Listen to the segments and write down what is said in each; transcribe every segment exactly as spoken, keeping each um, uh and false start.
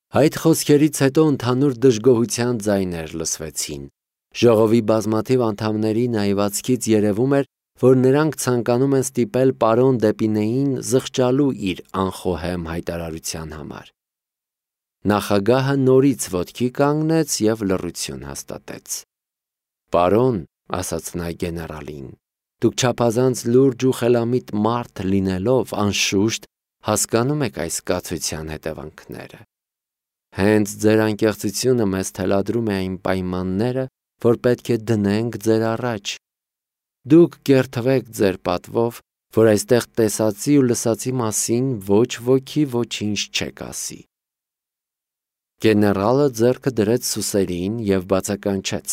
Այդ խոսքերից հետո ընդհանուր դժգոհության ձայներ լսվեցին։ Ժողովի բազմաթիվ անդամների նայվածքից երևում էր, որ նրանք ցանկանում են ստիպել պարոն Դեպինեին զղջալու իր անխոհեմ հայտարարության համար։ Նախագահը նորից ոտքի կանգնեց և լռություն հաստատեց։ «Պարոն», ասաց նա գեներալին, «դուք չափազանց լուրջ ու խելամիտ մարդ լինելով, անշուշտ, հասկանում եք այս կացության հետևանքները։ Հենց ձեր անկեղծությունը մեզ թելադրում է այն պայմանները, որ պետք է դնենք ձեր առաջ։ Դուք կերթվեք ձեր պատվով, որ այստեղ տեսածի ու լսածի մասին ոչ ոքի ոչինչ չեք ասի»։ Գեներալը ձեռքը դրեց սուսերին և բացականչեց.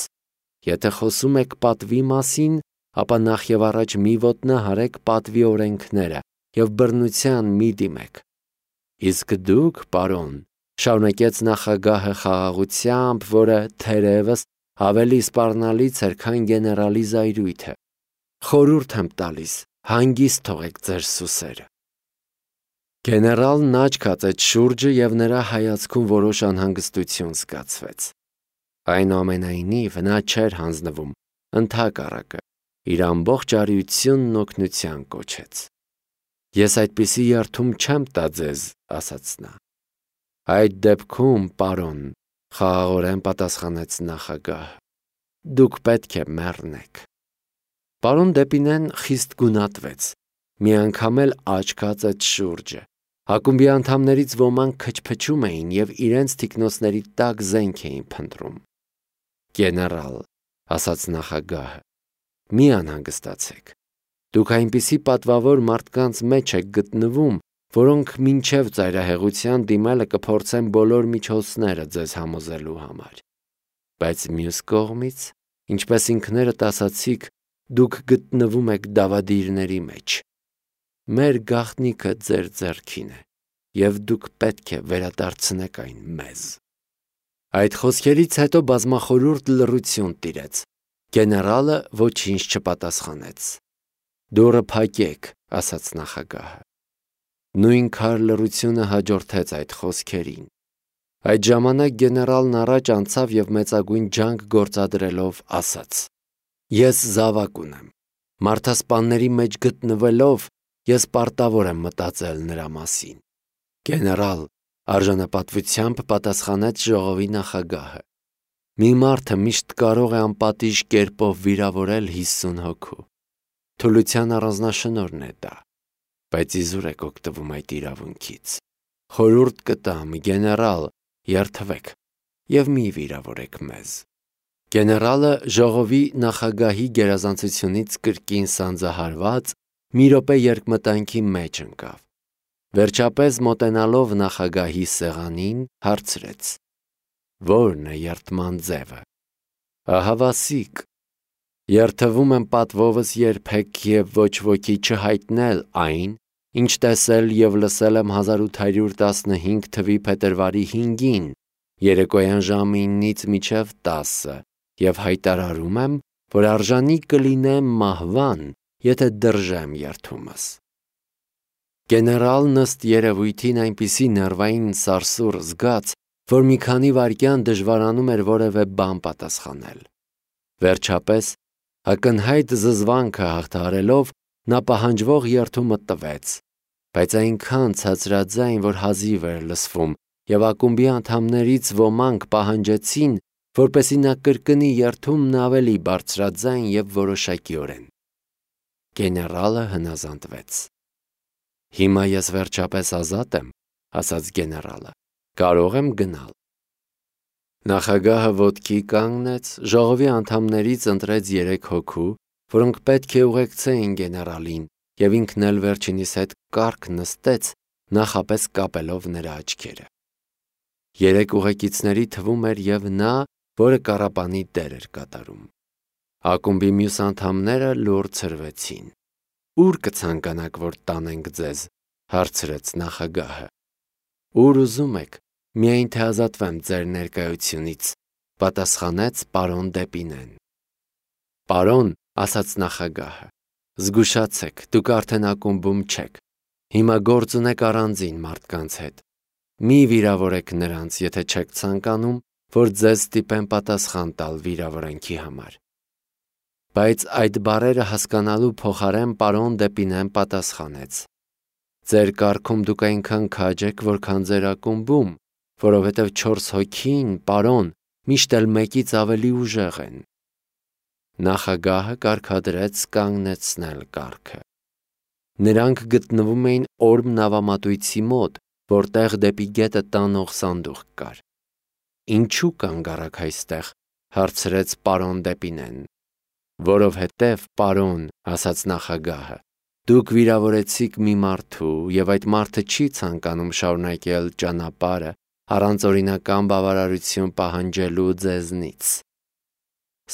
«Եթե խոսում եք պատվի մասին, ապա նախևառաջ մի ոտնահարեք պատվի օրենքները և բռնության մի դիմեք»։ «Իսկ դուք, պարոն», շարունակեց նախագահը խաղաղությամբ, որը, թերևս, ավելի սպառնալից էր, քան գեներալի զայրույթը, «խորհուրդ եմ տալիս, հանգիստ թողեք ձեր սուսերը»։ Գեներալն աչք հացեց շուրջը և նրա հայացքում որոշ անհանգստություն զգացվեց։ Այնուամենայնիվ, նա չէր հանձնվում, ընդհակառակը, իր ամբողջ արիությունն օգնության կոչեց։ «Ես այդպիսի երդում չեմ տա ձեզ», ասաց նա։ «Այդ դեպքում, պարոն», խաղաղորեն պատասխանեց նախագահը, «դուք պետք է մեռնեք»։ Պարոն Դեպինեն խիստ գունատվեց, միանգամ էլ աչք հացեց շուրջը։ Ակումբի անդամներից ոմանք քչփչում էին և իրենց թիկնոցների տակ զենք էին փնտրում։ «Գեներալ», ասաց նախագահը, «մի անհանգստացեք։ Դուք այնպիսի պատվավոր մարդկանց մեջ եք գտնվում, որոնք մինչև ծայրահեղության դիմելը կփորձեն բոլոր միջոցները ձեզ համոզելու համար։ Բայց մյուս կողմից, ինչպես ինքներդ ասացիք, դուք գտնվում եք դավադիրների մեջ։ Մեր գաղտնիքը ձեր ձեռքին է, և դուք պետք է վերադարձնեք այն մեզ»։ Այդ խոսքերից հետո բազմախորհուրդ լռություն տիրեց։ Գեներալը ոչինչ չպատասխանեց։ «Դուռը փակեք», ասաց նախագահը։ Նույն քար լռությունը հաջորդեց այդ խոսքերին։ Այդ ժամանակ գեներալն առաջ անցավ և մեծագույն ջանք գործադրելով ասաց. «Ես զավակ ունեմ։ Մարդասպանների մեջ գտնվելով, ես պարտավոր եմ մտածել նրա մասին»։ «Գեներալ», արժանապատվությամբ պատասխանեց ժողովի նախագահը, «մի մարդը միշտ կարող է անպատիժ կերպով վիրավորել հիսուն հոգու։ Թուլության առանձնաշնորհն է դա, բայց իզուր եք օգտվում այդ իրավունքից։ Խորհուրդ կտամ, գեներալ, երդվեք և մի վիրավորեք մեզ»։ Գեներալը ժողովի նախագահի գերազանցությունից կրկին սանձահարված, մի րոպե երկմտանքի մեջ ընկավ։ Վերջապես մոտենալով նախագահի սեղանին, հարցրեց. «Ո՞րն է երդման ձևը»։ «Ահավասիկ։ Երդվում եմ պատվովս երբեք և ոչ ոքի չհայտնել այն, ինչ տեսել և լսել եմ հազար ութ հարյուր տասնհինգ թվականի փետրվարի հինգին, երեկոյան ժամը ինից մինչև տասը, և հայտարարում եմ, որ արժանի կլինեմ մահվան, եթե դրժեմ երդումս»։ Գեներալն ըստ երևույթին այնպիսի ներվային սարսուռ զգաց, որ մի քանի վայրկյան դժվարանում էր որևէ բան պատասխանել։ Վերջապես, ակնհայտ զզվանքը հաղթահարելով, նա պահանջվող երդումը տվեց, բայց այնքան ցածրաձայն, որ հազիվ էր լսվում, և ակումբի անդամներից ոմանք պահանջեցին, որպեսզի նա կրկնի երդումն ավելի բարձրաձայն և որոշակիորեն։ Գեներալը հնազանդվեց։ «Հիմա ես վերջապես ազատ եմ», ասաց գեներալը, «կարող եմ գնալ»։ Նախագահը ոտքի կանգնեց, ժողովի անդամներից ընտրեց երեք հոգու, որոնք պետք է ուղեկցեին գեներալին, և ինքն էլ վերջինիս հետ կառք նստեց, նախապես կապելով նրա աչքերը։ Երեք ուղեկիցների թվում էր և նա, որը կառապանի դեր էր կատարում։ Ակումբի մյուս անդամները լուռ ցրվեցին։ «Ո՞ւր կցանկանաք, որ տանենք ձեզ», հարցրեց նախագահը։ «Ուր ուզում եք, միայն թե ազատվեմ ձեր ներկայությունից», պատասխանեց պարոն Դեպինեն։ «Պարոն», ասաց նախագահը, «զգուշացեք, դուք արդեն ակումբում չեք։ Հիմա գործ ունեք առանձին մարդկանց հետ։ Մի վիրավորեք նրանց, եթե չեք ցանկանում, որ ձեզ ստիպեն պատասխան տալ վիրավորանքի համար։ Բայց այդ բառերը հասկանալու փոխարեն պարոն Դեպինեն պատասխանեց. Ձեր կարգում դուք այնքան քաջ եք, որքան ձեր ակումբում, որովհետև չորս հոգին, պարոն, միշտ էլ մեկից ավելի ուժեղ են։ Նախագահը կարգադրեց կանգնեցնել կառքը։ Նրանք գտնվում էին Օրմ նավամատույցի մոտ, որտեղ դեպի գետը տանող սանդուղք կար։ Ինչու կանգ առաք այստեղ, հարցրեց պարոն Դեպինեն։ Որովհետև, պարոն, ասաց նախագահը, դուք վիրավորեցիք մի մարդու, եւ այդ մարդը չի ցանկանում շարունակել ճանապարհը առանց օրինական բավարարություն պահանջելու ձեզնից։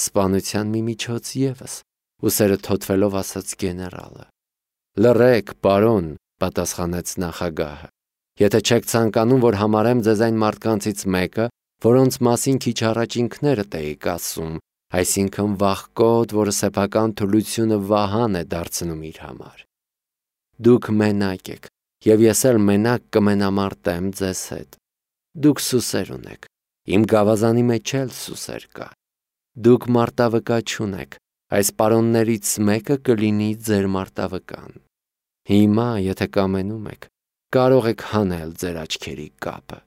Սպանության մի միջոց ևս, ուսերը թոթվելով ասաց գեներալը։ Լռեք, պարոն, պատասխանեց նախագահը։ Եթե չեք ցանկանում, որ համարեմ ձեզ այն մարդկանցից մեկը, որոնց մասին քիչ առաջ ինքներդ էիք ասում, այսինքն վախկոտ, որը սեփական թուլությունը վահան է դարձնում իր համար։ Դուք մենակ եք, եւ ես էլ մենակ կմենամարտեմ ձեզ հետ։ Դուք սուսեր ունեք, իմ գավազանի մեջ էլ սուսեր կա։ Դուք մարտավկա չունեք, այս պարոններից մեկը կլինի ձեր մարտավկան։ Հիմա, եթե կամենում եք, կարող եք հանել ձեր աչքերի կապը։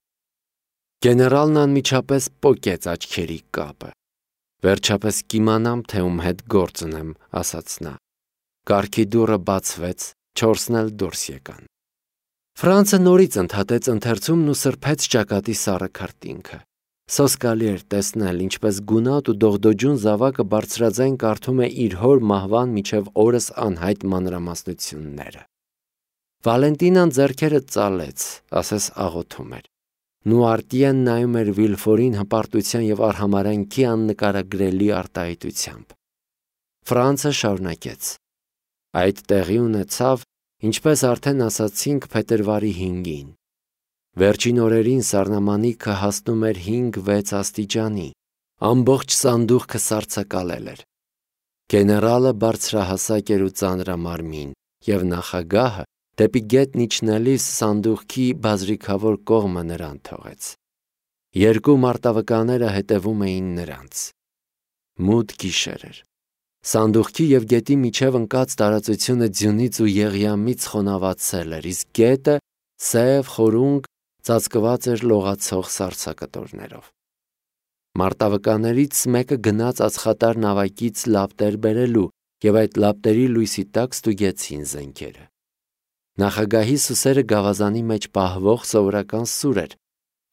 Գեներալն անմիջապես պոկեց աչքերի կապը։ Վերջապես կիմանամ, թե ում հետ գործ ունեմ, ասաց նա։ Կառքի դուռը բացվեց, չորսն էլ դուրս եկան։ Ֆրանցը նորից ընդհատեց ընթերցումն ու սրբեց ճակատի սառը քարտինքը։ Սոսկալի էր տեսնել, ինչպես գունատ ու դողդոջուն զավակը բարձրաձայն կարդում է իր հոր մահվան միջև օրս անհայտ մանրամասնությունները։ Վալենտինան ձեռքերը ծալեց, ասես աղոթում էր։ Նուարտիեն նայում էր Վիլֆորին հպարտության եւ արհամարհանքի աննկարագրելի արտահայտությամբ։ Ֆրանցը շարունակեց. Այդ տեղի ունեցավ, ինչպես արդեն ասացինք, փետրվարի հինգին։ Վերջին օրերին սառնամանիքը հասնում էր հինգ-վեց աստիճանի, ամբողջ սանդուղքը սառցակալել էր։ Գեներալը բարձրահասակ էր ու ծանրամարմին, եւ նախագահը դեպի գետն իջնելիս սանդուղքի բազրիքավոր կողմը նրան թողեց։ Երկու մարտավկաները հետևում էին նրանց։ Մութ գիշեր էր։ Սանդուղքի եւ գետի միջև ընկած տարածությունը ձյունից ու եղյամից խոնավացել էր, իսկ գետը սև, խորունկ, ծածկված էր լողացող սառցակտորներով։ Մարտավկաներից մեկը գնաց ածխատար նավակից լապտեր բերելու եւ այդ լապտերի լույսի տակ ստուգեցին զենքերը։ Նախագահի սուսերը գավազանի մեջ պահվող սովորական սուր էր,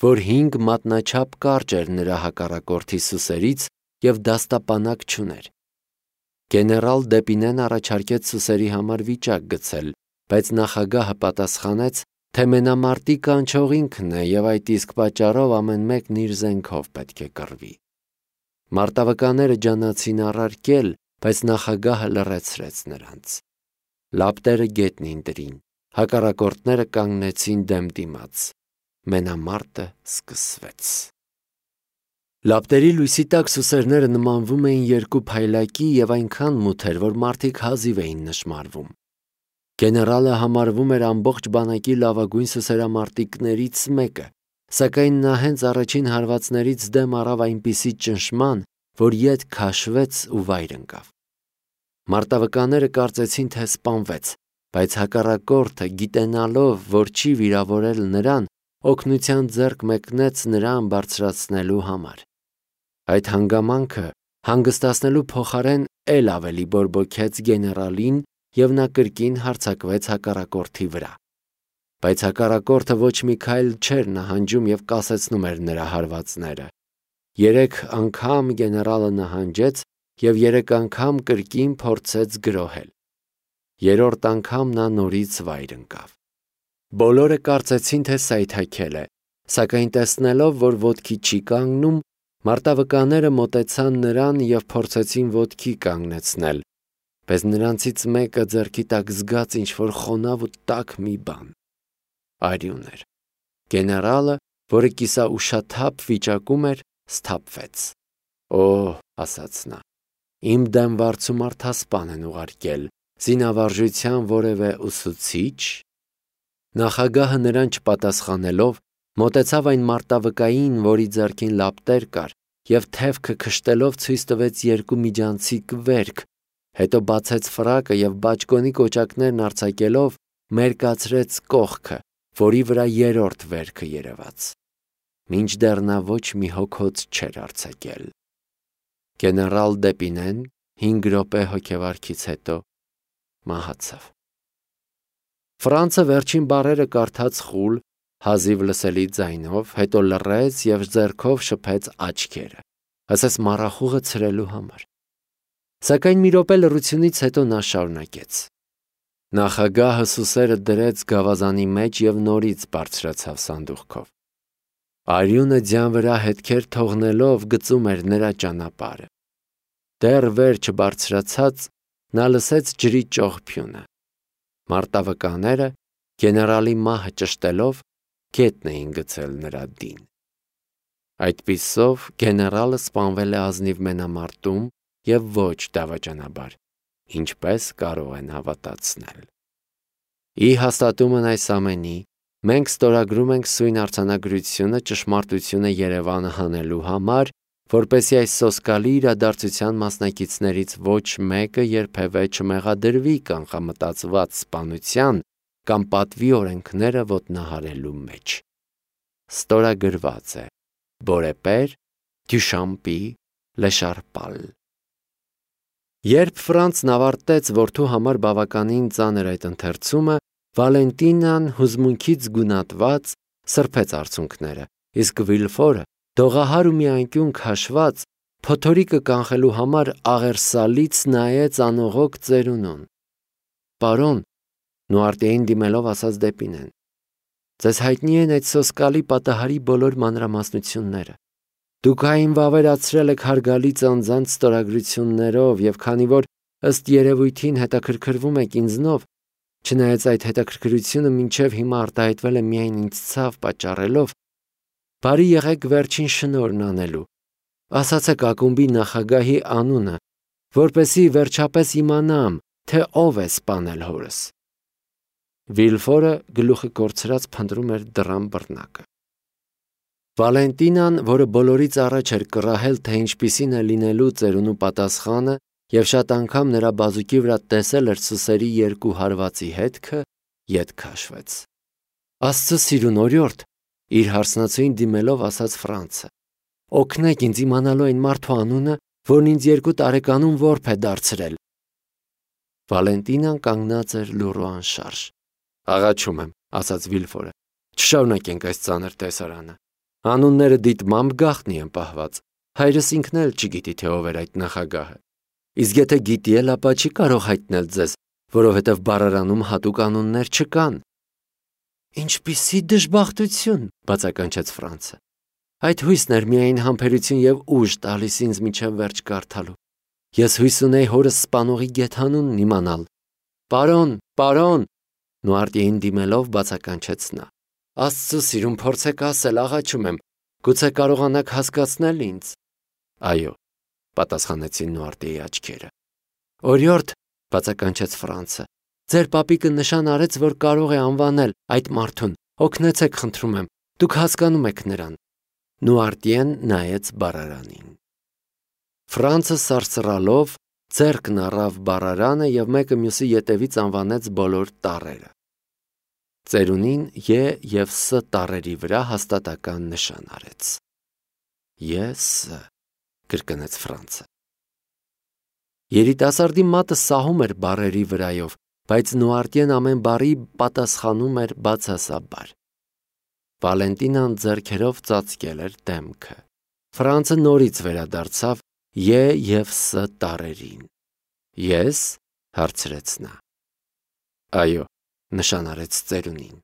որ հինգ մատնաչափ կարճ էր նրա հակառակորդի սուսերից եւ դաստապանակ չուներ։ Գեներալ Դեպինեն առաջարկեց սուսերի համար վիճակ գցել, բայց նախագահը պատասխանեց, թե մենամարտի կանչող ինքն է եւ այդ իսկ պատճառով ամեն մեկն իր զենքով պետք է կռվի։ Մարտավկաները ջանացին առարկել, բայց նախագահը լռեցրեց նրանց։ Լապտերը գետնին դրին, հակառակորդները կանգնեցին դեմ դիմաց։ Մենամարտը սկսվեց։ Լապտերի լույսի տակ սուսերները նմանվում էին երկու փայլակի եւ այնքան մութ էր, որ մարդիկ հազիվ էին նշմարվում։ Գեներալը համարվում էր ամբողջ բանակի լավագույն սուսերամարտիկներից մեկը, սակայն նա հենց առաջին հարվածներից դեմ առավ այնպիսի ճնշման, որ ետ քաշվեց ու վայր ընկավ։ Մարտավկաները կարծեցին, թե սպանվեց, բայց հակառակորդը, գիտենալով, որ չի վիրավորել նրան, օգնության ձեռք մեկնեց նրան բարձրացնելու համար։ Այդ հանգամանքը հանգստացնելու փոխարեն էլ ավելի բորբոքեց գեներալին եւ նա կրկին հարձակվեց հակառակորդի վրա։ Բայց հակառակորդը ոչ մի քայլ չէր նահանջում եւ կասեցնում էր նրա հարվածները։ Երեք անգամ գեներալը նահանջեց եւ երեք անգամ կրկին փորձեց գրոհել։ Երրորդ անգամ նա նորից վայր ընկավ։ Բոլորը կարծեցին, թե սայթաքել է, սակայն տեսնելով, որ ոտքի չի կանգնում, մարտավկաները մոտեցան նրան եւ փորձեցին ոտքի կանգնեցնել, բայց նրանցից մեկը ձեռքի տակ զգաց ինչ-որ խոնավ ու տաք մի բան։ Արյուն էր։ Գեներալը, որը կիսաուշաթափ վիճակում էր, սթափվեց։ Օ՜, ասաց նա, իմ դեմ վարձու մարդասպան են ուղարկել, զինավարժության որևէ ուսուցիչ։ Նախագահը նրան չպատասխանելով մոտեցավ այն մարտավկային, որի ձեռքին լապտեր կար, և թևքը քշտելով ցույց տվեց երկու միջանցիկ վերք, հետո բացեց ֆրակը և բաճկոնի կոճակներն արձակելով մերկացրեց կողքը, որի վրա երրորդ վերքը երևաց, մինչդեռ նա ոչ մի հոգոց չէր արձակել։ Գեներալ Դեպինեն հինգ րոպե հոգեվարքից հետո մահացավ։ Ֆրանցը վերջին բառերը կարդաց խուլ, հազիվ լսելի ձայնով, հետո լռեց և ձեռքով շփեց աչքերը, ասես մառախուղը ցրելու համար։ Սակայն մի րոպե լռությունից հետո նա շարունակեց. Նախագահը սուսերը դրեց գավազանի մեջ և նորից բարձրացավ սանդուղքով։ Արյունը ձյան վրա հետքեր թողնելով գծում էր նրա ճանապարհը։ Դեռ վեր չբարձրացած նա լսեց ջրի ճողփյունը։ Մարտավկաները, գեներալի մահը ճշտելով, գետն էին գցել նրա դին։ Այդպիսով գեներալը սպանվել է ազնիվ մենամարտում և ոչ դավաճանաբար, ինչպես կարող են հավատացնել։ Ի հաստատումն այս ամենի, մենք ստորագրում ենք սույն արձանագրությունը ճշմարտությունը Երևանը հանելու համար, որպեսզի այս սոսկալի իրադարձության մասնակիցներից ոչ մեկը երբևէ չմեղադրվի կանխամտածված սպանության կամ պատվի օրենքները ոտնահարելու մեջ։ Ստորագրված է Բորեպեր Դյուշամպի Լեշարպալ։ Երբ Ֆրանցն ավարտեց որդու համար բավականին ծանր այդ ընթերցումը, Վալենտինան հուզմունքից գունատված սրբեց արցունքները, իսկ Վիլֆորը, դողահար ու մի անկյուն քաշված, փոթորիկը կանխելու համար աղերսալից նայեց անողոք ծերունուն։ Պարոն, նուարտիեին դիմելով ասաց Դեպինեն, ձեզ հայտնի են այդ սոսկալի պատահարի բոլոր մանրամասնությունները։ Դուք այն վավերացրել եք հարգալից անձանց ստորագրություններով և քանի որ ըստ երևույթին հետաքրքրվում եք ինձնով, չնայած այդ հետաքրքրությունը մինչև հիմա արտահայտվել է միայն ինձ ցավ պատճառելով, բարի եղեք վերջին շնորհն անելու, ասացեք ակումբի նախագահի անունը, որպեսզի վերջապես իմանամ, թե ով է սպանել հորս։ Վիլֆորը գլուխը կորցրած փնտրում էր դռան բռնակը։ Վալենտինան, որը բոլորից առաջ էր կռահել, թե ինչպիսին է լինելու ծերունու պատասխանը և շատ անգամ նրա բազուկի վրա տեսել էր սուսերի երկու հարվածի հետքը, ետ քաշվեց։ Աստծո սիրուն օրիորդ, իր հարսնացուին դիմելով ասաց Ֆրանցը, օգնեք ինձ իմանալու այն մարդու անունը, որն ինձ երկու տարեկանում որբ է դարձրել։ Վալենտինան կանգնած էր լուռ ու անշարժ։ Աղաչում եմ, ասաց Վիլֆորը, չշարունակենք այս ծանր տեսարանը։ Անունները դիտմամբ գաղտնի են պահված։ Հայրս ինքն էլ չգիտի, թե ով էր այդ նախագահը։ Իսկ եթե գիտի էլ, ապա չի կարող հայտնել ձեզ, որովհետև բառարանում հատուկ անուններ չկան։ Ինչպիսի դժբախտություն, բացականչեց Ֆրանցը։ Այդ հույսն էր միայն համբերություն և ուժ տալիս ինձ մինչև վերջ կարդալու։ Ես հույս ունեի հորս սպանողի գեթանունն իմանալ։ Պարոն, պարոն, նուարտիեին դիմելով բացականչեց նա։ Աստծո սիրուն, փորձեք ասել, աղաչում եմ, գուցե կարողանաք հասկացնել ինձ։ Այո, պատասխանեցին նուարտիեի աչքերը։ Օրիորդ, բացականչեց Ֆրանցը, ձեր պապիկը նշան արեց, որ կարող է անվանել այդ մարդուն։ Օգնեցեք, խնդրում եմ, դուք հասկանում եք նրան։ Նուարտիեն նայեց բառարանին։ Ֆրանցը սարսռալով ձեռքն առավ բառարանը և մեկը մյուսի ետևից անվանեց բոլոր տառերը։ Ծերունին Ե և Ս տառերի վրա հաստատական նշան արեց։ Ես կրկնեց Ֆրանցը։ Երիտասարդի մատը սահում էր բառերի վրայով, բայց նուարտիեն ամեն բառի պատասխանում էր բացասաբար։ Վալենտինան ձեռքերով ծածկել էր դեմքը։ Ֆրանցը նորից վերադարձավ Ե և Ս տառերին։ Ես, հարցրեց նա։ Այո, նշանարեց ծերունին։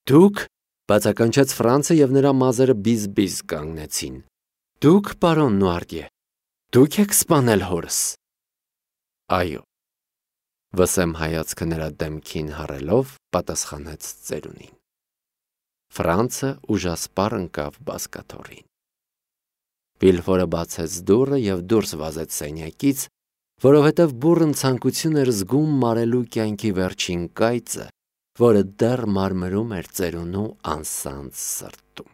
Դուք, բացականչեց Ֆրանցը և նրա մազերը բիզ-բիզ կանգնեցին։ Դուք, պարոն Նուարտիե, դուք եք սպանել հորս։ Այո, վսեմ հայացքը նրա դեմքին հառելով, պատասխանեց ծերունին։ Ֆրանցը ուժասպառ ընկավ բազկաթոռին։ Վիլֆորը բացեց դուռը և դուրս վազեց սենյակից, որովհետև բուռն ցանկություն էր զգում մարելու կյանքի վերջին կայծը որը դեռ մարմրում էր ծերունու անսանձ սրտում։